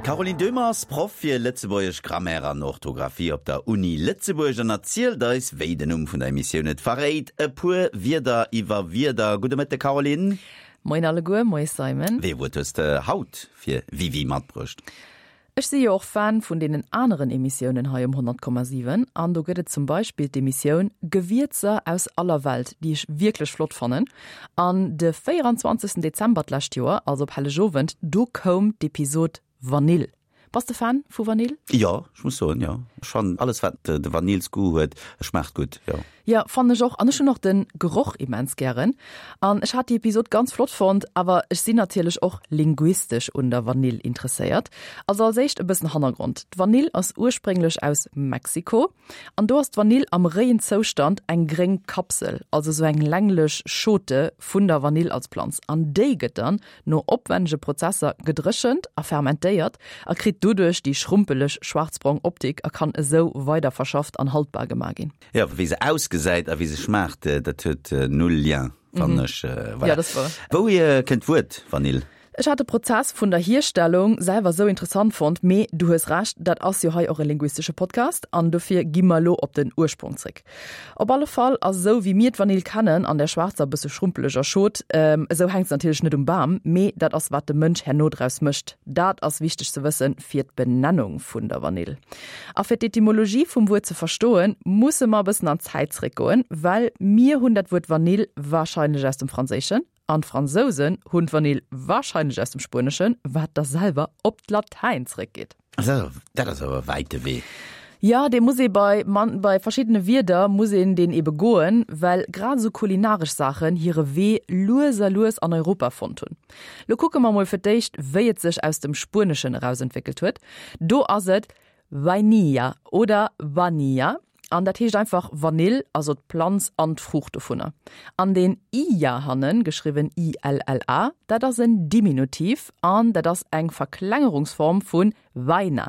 D'Caroline Döhmer ass Proff fir lëtzebuergesch Grammaire an Orthografie op der Uni Lëtzebuerg an erzielt eis, wéi den Numm vun der Emissioun et verréit, e puer Wierder iwwer Wierder. Gudde Mëtte Caroline. Moien alleguer, moie Simon. Wéi e Wuert hues de haut fir Wiwi matbruecht? Ech si jo och Fan vun deenen aneren Emissiounen hei um 100,7 an do gëtt et zum Beispill d'Emissioun Gewierzer aus aller Welt, déi ech wierklech flott fannen. An de 24 Dezember d'lescht Joer, also op Hellegowend, do koum d'Episod Vanill. Bass de Fan vu Vanill? Jo, ech muss soen, jo. Ech fannen alles wat de Vanillsgoût huet, schmaacht gutt, jo. Jo, fannen ech och. An ech hunn och den Geroch immens gären. An ech hat déi Episod ganz flott fonnt, awer ech sinn natierlech och linguistesch un der Vanill interesséiert. Also als éischt e bëssen Hannergrond, D'Vanill ass ursprénglech aus Mexiko an do ass d'Vanill am réien Zoustand eng gréng Kapsel, also sou eng länglech Schote vun der Vanill als Planz an déi gëtt dann no opwännege Prozesser gedréchent a fermentéiert a kritt doduerch déi schrumpeleg schwarzbrong Optik a kann esou weiderverschafft an haltbar gemaach ginn. Jo, wéi se ausgesäit a wéi se schmaacht, dat huet null Lien, fannen ech. Voilà. Ja, dat ass wouer. Wouhier kënnt d'Wuert Vanill? Ech hat de Prozess vun der Hierstellung selwer sou interessant fonnt, mee du hues Recht, dat ass jo hei och e linguistesche Podcast an dofir gi mer elo op den Ursprong zréck. Op alle Fall ass esou wéi mir d'Vanill kennen, an där schwaarzer, bësse schrumpeleger Schot, esou hänkt se natierlech net um Bam, mee dat ass wat de Mënsch herno draus mécht. Dat ass wichteg ze wëssen fir d'Benennung vun der Vanill. A fir d'Etymologie vum Wuert ze verstoen, musse mer e bëssen an d'Zäit zréckgoen, well mir hunn dat Wuert Vanill warscheinlech aus dem Franséischen an d'Fransousen hunn d'Vanill warscheinlech aus dem Spueneschen, wat da selwer op d'Latäin zréckgeet. Dat ass awer e wäite Wee. Jo, dee muss ee bei bei verschiddene Wierder muss een deen ebe goen, well grad esou kulinaresch Saachen hire Wee lues a lues an Europa fonnt hunn. Lo kucke mer mol fir d'éischt, wéi et sech aus dem Spueneschen erausentwéckelt huet. Do ass et Vainilla oder Vanilla an dat heescht einfach Vanill, also d'Planz an d'Fruucht dovunner. An deen illa hannen, geschriwwen i-l-l-a, dat ass en Diminutiv an dat ass eng Verklengerungsform vu vaina.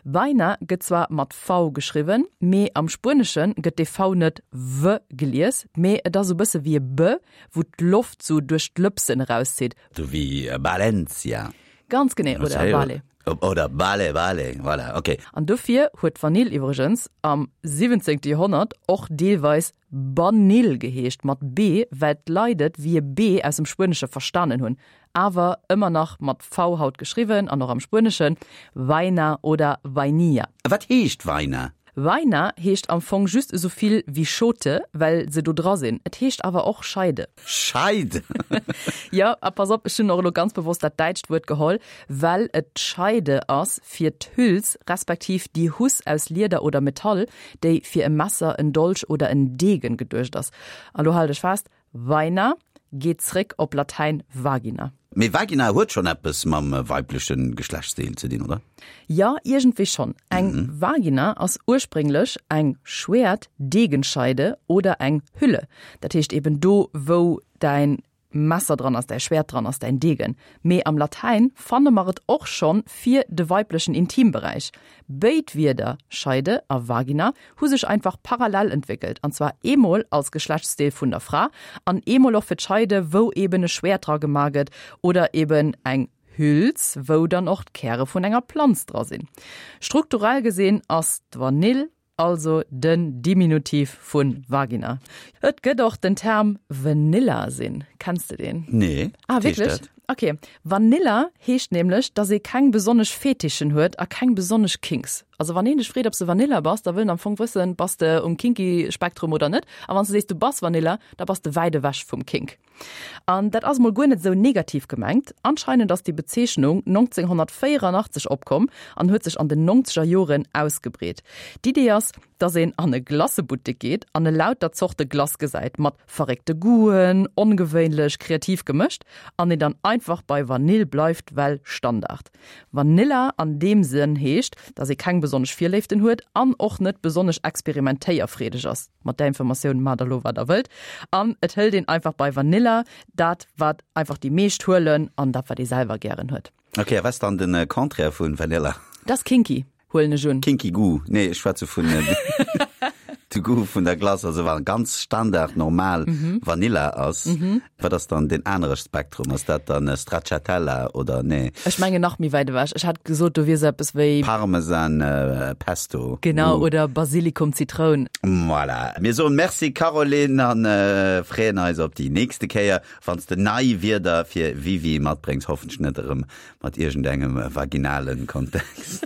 Vaina gëtt zwar mat v geschriwwen, mee am Spuenesche gëtt dee v net w gelies, mee et ass sou bësse wéi e b, wou d'Loft sou duerch d'Lëpsen erauszitt. Sou wéi Valencia. Ganz genee, oder Vale. Oder Vale, Vale, voilà, ok. An dofir huet d'Vanill iwwregens am 17. Joerhonnert och deelweis Banill geheescht, mat b, well d'Leit et wéi e b aus dem Spuenesche verstanen hunn, awer ëmmer nach mat v haut geschriwwen an och am Spueneschen, Vaina oder Vainilla. A wat heescht Vaina? Vaina heescht am Fong just esou vill wéi Schote, well se do dra sinn. Et heescht awer och Scheide. Scheide? Jo, a pass op, ech hunn och elo ganz bewosst dat däitscht Wuert geholl, well et d'Scheide ass fir d'Hüls respektiv déi Huss aus Lieder oder Metall, déi fir e Messer, en Dolch oder en Degen geduecht ass. A lo hal dech fest, Vaina geet zréck op Latäin vagina. Mee Vagina huet schonn eppes mam weibleche Geschlechtsdeel ze dinn, oder? Jo, iergendwéi schonn. Eng Vagina ass ursprénglech eng Schwäert, Degenscheide oder eng Hülle. Dat heescht eben do, wou däin Messer dran ass, däi Schwäert dran ass, däin Degen. Mee am Latäin fanne mer et och schonn fir de weiblechen Intimberäich. Béid Wierder, Scheide a Vagina, hu sech einfach parallel entwéckelt, an zwar eemol als Geschlechtsdeel vun der Fra an eemol och fir d'Scheide, wou eben e Schwäert dra gemaach gëtt oder eben eng Hüls, wou dann och d'Käre vun enger Planz dra sinn. Strukturell gesinn ass d'Vanill also den Diminutiv vu Vagina. Et gëtt och den Term Vanilla sinn. Kenns de deen? Nee. Ah, wierklech? Ok. Vanilla heescht nämlech, dass ee keng besonnesch Fetischen huet a keng besonnesch Kinks. Also wann een dech freet, ob s de Vanilla bass, da wëll en am Fong wëssen, bass de um kinky Spektrum oder net. A wann s de sees, du bass Vanilla, da bass de wäit ewech vum Kink. An dat ass mol guer net esou negativ gemengt. Anscheinend ass déi Bezeechnung 1984 opkomm an huet sech an den nongzeger Joren ausgebreet. D'Idee ass, dass een an e Glacebuttek geet an elauter Zorte Glace gesäit, mat verréckte Goûten, ongewéinlech, kreativ gemëscht, an een dann einfach bei Vanill bleift, well Standard. Vanilla an deem Sënn heescht, dass ee keng besonnesch Virléiften huet an och net besonnesch experimentéierfreedeg ass. Mat där Informatioun maacht der lo wat der wëllt. An et hëlt een einfach bei Vanilla dat wat einfach déi meescht huelen an dat wat ee selwer gären huet. Ok, a wat ass dann den Contraire vun Vanilla? Dat ass kinky, huelen ech un. Kinky Goo, nee ech schwätze vun. De Goût vun der Glace, also wa ganz Standard normal Vanilla ass, wat ass dann deen anere Spektrum? Ass dat dann Stracciatella oder nee? Ech mengen nach méi wäit ewech. Ech hätt gesot, do wier sou eppes wéi. Parmesan Pesto. Genau, oder Basilikum Zitroun. Voilà. Mir soen Merci Caroline an freeën eis op déi nächste Kéier, wann s de nei Wierder fir Wiwi matbréngs, hoffentlech net erëm mat iergendengem vaginalen Kontext.